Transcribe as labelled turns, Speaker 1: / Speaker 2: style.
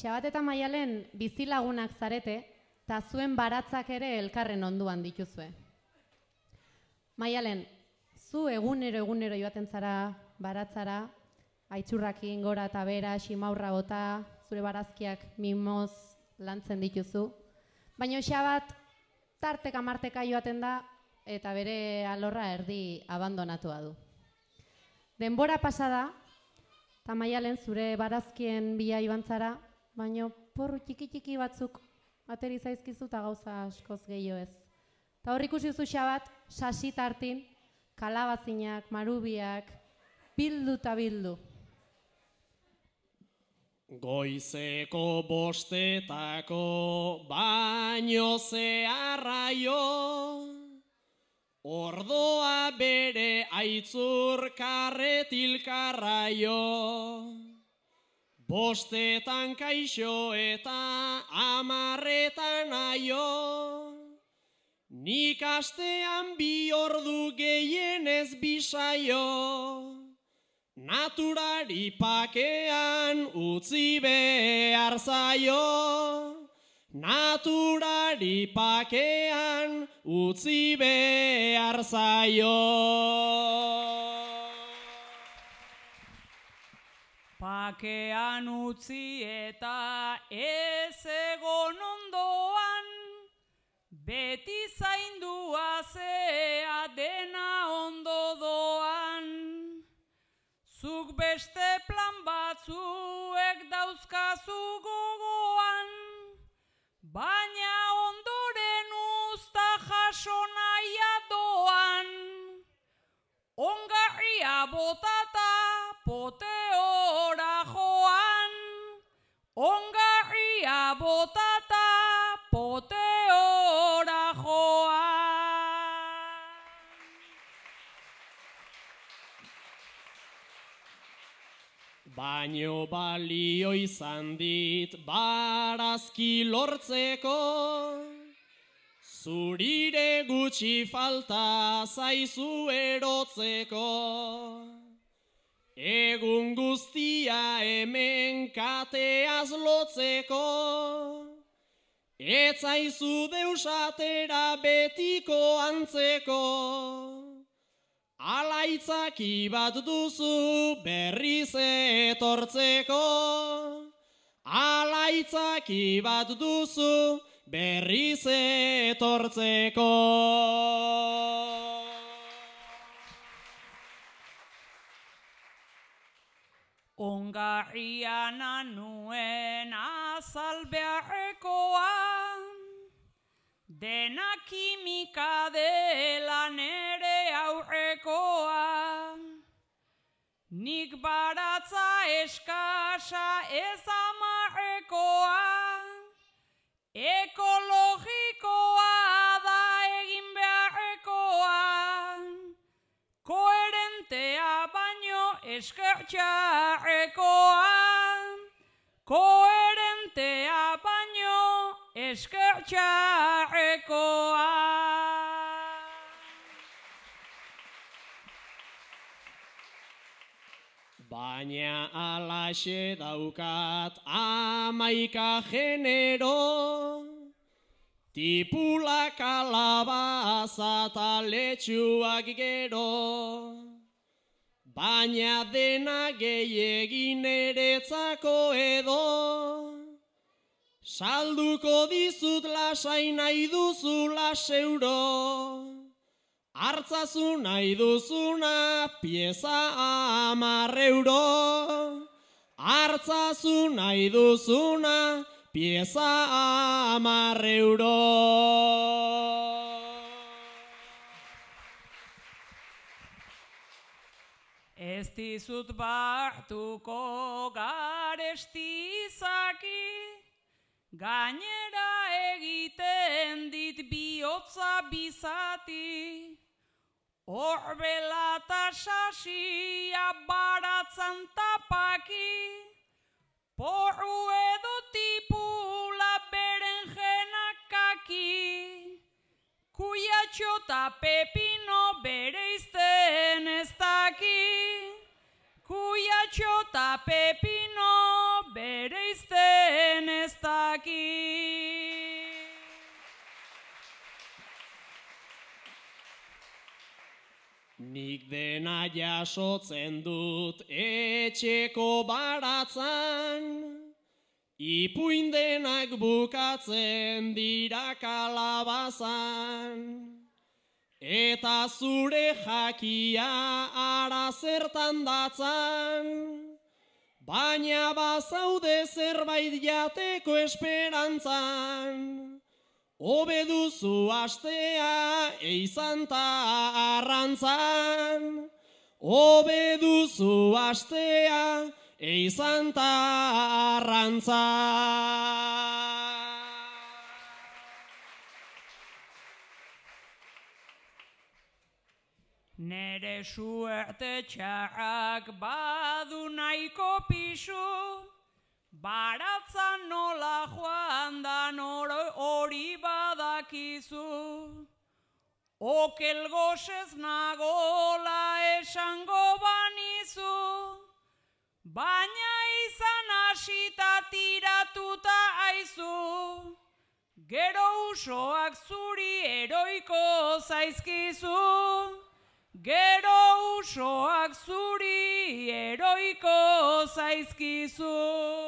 Speaker 1: Xabat eta Maialen bizilagunak zarete, eta zuen baratzak ere elkarren onduan dituzue. Maialen, zu egunero joaten zara baratzara, aitzurrakin gora eta bera, ximaurra bota, zure barazkiak mimoz lantzen dituzu. Baina Xabat tarteka marteka joaten da eta bere alorra erdi abandonatua du. Denbora pasada, eta Maialen zure barazkien bila joan zara, baina porru txiki batzuk ateri zaizkizu eta gauza askoz gehiago ez. Eta hor ikusi zu Xabat, sasi tartin, kalabazinak, marubiak, bildu eta bildu.
Speaker 2: Goizeko bostetako baino zeharraio, ordoa bere aitzur karretilkarraio. Bostetan kaixo eta 10etan aio, nik astean 2 ordu gehienez bisaio. Naturari pakean utzi behar zaio, naturari pakean utzi behar zaio.
Speaker 3: Pakean utzi eta ez egon ondoan, beti zaindua zea dena ondo doan. Zuk beste plan batzuek dauzkazu gogoan, baina ondoren uzta jaso nahia doan. Ongarria botata poteora joan, ongarria botata poteora joan.
Speaker 2: Baino balio izan dit barazki lortzeko, zurire gutxi falta zaizu erotzeko. Egun guztia hemen kateaz lotzeko, ez zaizu deusatera betiko antzeko. Alaitzaki bat duzu berriz etortzeko, alaitzaki bat duzu berriz etortzeko.
Speaker 3: Ongarriana nuen azal beharrekoa, dena kimika dela nere aurrekoa. Nik baratza eskasa ez amarrekoa, ekologikoa da egin beharrekoa. Koherentea baino eskertxarrekoa, koherentea baino eskertxarrekoa.
Speaker 2: Baina alaxe daukat 11 genero, tipula kalabaza eta letxuak gero. Baina dena gehiegin eretzako edo, salduko dizut lasai nahi duzu 10 euro. Hartzazu nahi duzuna pieza 10 euro. Hartzazu nahi duzuna pieza 10 euro.
Speaker 3: Ez dizut bartuko garesti izaki, gainera egiten dit bihotza bizati. Horbela eta sasia baratzan tapaki, porru edo tipula berenjenak kaki. Kuiatxo eta pepino bereizten ez daki, kuiatxo eta pepino bereizten
Speaker 2: nik dena jasotzen dut etxeko baratzan, ipuin denak bukatzen dira kalabazan. Eta zure jakia ara zertan datzan, baina bazaude zerbait jateko esperantzan. Hobe duzu astea eizan ta arrantzan, hobe duzu astea eizan ta arrantzan.
Speaker 3: Nere suerte txarrak badu nahiko pisu, baratzan nola joan dan hori badakizu. Okel gozez nagola esango banizu, baina izan hasita tiratuta aizu. Gero usoak zuri eroiko zaizkizu, gero usoak zuri eroiko zaizkizu.